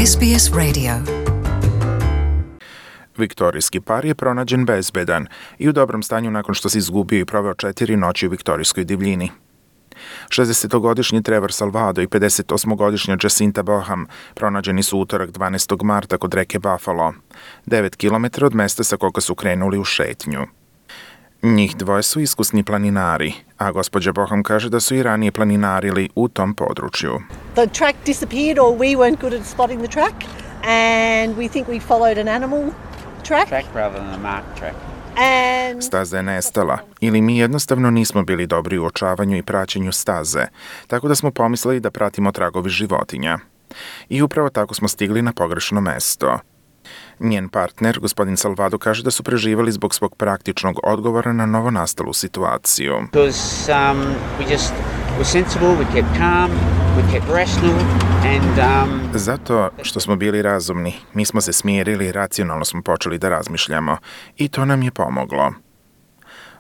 SBS Radio. Viktorijski par je pronađen bezbedan i u dobrom stanju nakon što se izgubio i proveo 4 noći u viktorijskoj divljini. 60-godišnji Trevor Salvado i 58-godišnja Jacinta Boham pronađeni su utorak 12. marta kod reke Buffalo, 9 km od mesta sa koga su krenuli u šetnju. Njih dvoje su iskusni planinari, a gospođa Boham kaže da su i ranije planinarili u tom području. The track disappeared or we weren't good at spotting the track and we think we followed an animal track rather than a marked track. Staza je nestala ili mi jednostavno nismo bili dobri u uočavanju i praćenju staze, tako da smo pomislili da pratimo tragovi životinja. I upravo tako smo stigli na pogrešno mesto. Njen partner, gospodin Salvado, kaže da su preživali zbog svog praktičnog odgovora na novonastalu situaciju. Because we're sensible, we kept calm, we kept rational and Zato što smo bili razumni, mi smo se smirili i racionalno smo počeli da razmišljamo i to nam je pomoglo.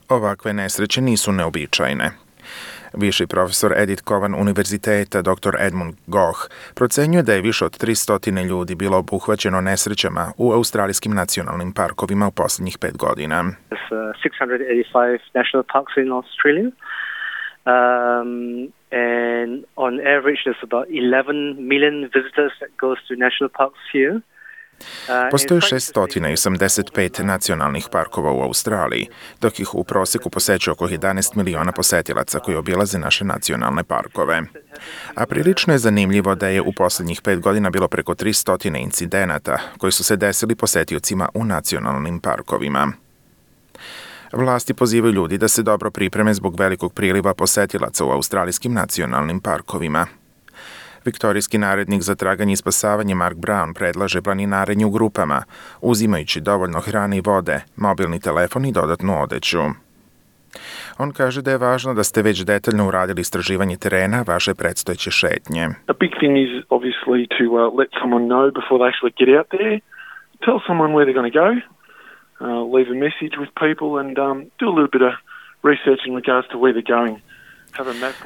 Ovakve nesreće nisu neobičajne. Viši profesor Edith Cowan univerziteta dr. Edmund Goh procenjuje da je više od 300 ljudi bilo obuhvaćeno nesrećama u australijskim nacionalnim parkovima u posljednjih 5 godina. There's 685 national parks in Australia. And on average there's about 11 million visitors that goes to national parks here. Postoji 685 nacionalnih parkova u Australiji, dok ih u prosjeku posećuje oko 11 miliona posetilaca koji obilaze naše nacionalne parkove. A prilično je zanimljivo da je u posljednjih 5 godina bilo preko 300 incidenata koji su se desili posetiocima u nacionalnim parkovima. Vlasti pozivaju ljudi da se dobro pripreme zbog velikog priliva posetilaca u australijskim nacionalnim parkovima. Viktorijski narednik za traganje i spasavanje Mark Brown predlaže planinarenje u grupama, uzimajući dovoljno hrane i vode, mobilni telefon i dodatnu odeću. On kaže da je važno da ste već detaljno uradili istraživanje terena vaše predstojeće šetnje. A big thing is obviously to let someone know before they actually get out there. Tell someone where they're going to go. Leave a message with people and do a little bit of research in regards to where they're going.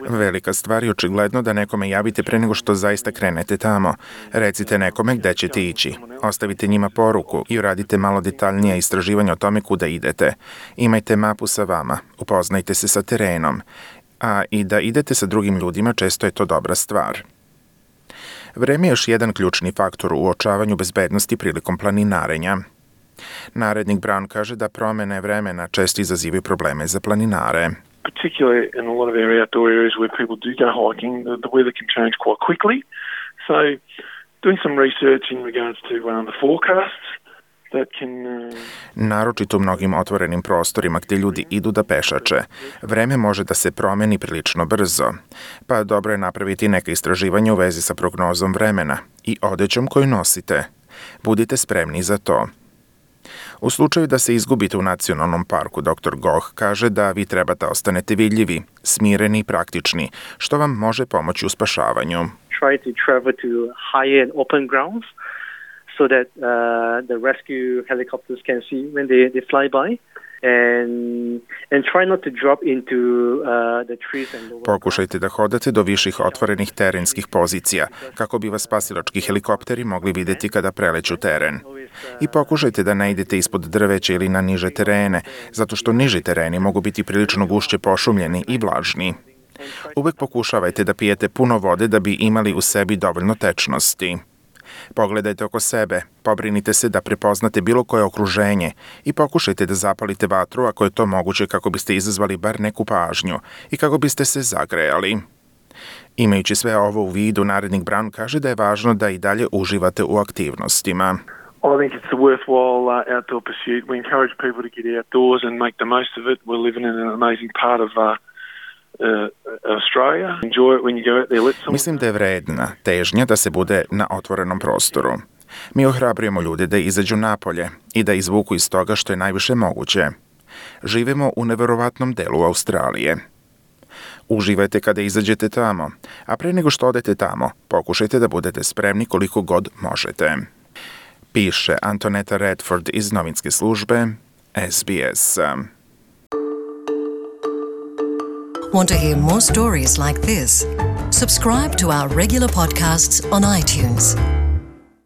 Velika stvar je očigledno da nekome javite pre nego što zaista krenete tamo. Recite nekome gde ćete ići. Ostavite njima poruku i uradite malo detaljnije istraživanje o tome kuda idete. Imajte mapu sa vama, upoznajte se sa terenom. A i da idete sa drugim ljudima često je to dobra stvar. Vreme je još jedan ključni faktor u uočavanju bezbednosti prilikom planinarenja. Narednik Brown kaže da promene vremena često izazivaju probleme za planinare. Particularly in a lot of our outdoor areas where people do go hiking, the weather can change quite quickly. So doing some research in regards to the forecasts that can... Naročito u mnogim otvorenim prostorima gdje ljudi idu da pešače, vreme može da se promeni prilično brzo, pa dobro je napraviti neka istraživanja u vezi sa prognozom vremena i odećom koju nosite. Budite spremni za to. U slučaju da se izgubite u nacionalnom parku, dr. Goh kaže da vi trebate ostanete vidljivi, smireni i praktični, što vam može pomoći u spašavanju. Try to travel to higher and open grounds so that the rescue helicopters can see when they fly by. And try not to drop into the trees and lower. Pokušajte da hodate do viših otvorenih terenskih pozicija, kako bi vas spasilački helikopteri mogli vidjeti kada preleću teren. I pokušajte da ne idete ispod drveća ili na niže terene, zato što niži tereni mogu biti prilično gušće pošumljeni i vlažni. Uvek pokušavajte da pijete puno vode da bi imali u sebi dovoljno tečnosti. Pogledajte oko sebe, pobrinite se da prepoznate bilo koje okruženje i pokušajte da zapalite vatru ako je to moguće kako biste izazvali bar neku pažnju i kako biste se zagrejali. Imajući sve ovo u vidu, narednik Brown kaže da je važno da i dalje uživate u aktivnostima. I think it's a worthwhile outdoor pursuit. We encourage people to get outdoors and make the most of it. We're living in an amazing part of Australia. Enjoy it when you go out there. Mislim da je vredna težnja da se bude na otvorenom prostoru. Mi ohrabrujemo ljude da izađu napolje i da izvuku iz toga što je najviše moguće. Živimo u neverovatnom delu Australije. Uživajte kada izađete tamo, a pre nego što odete tamo, pokušajte da budete spremni koliko god možete. Piše Antoneta Redford iz novinske službe SBS. Want to hear more stories like this? Subscribe to our regular podcasts on iTunes.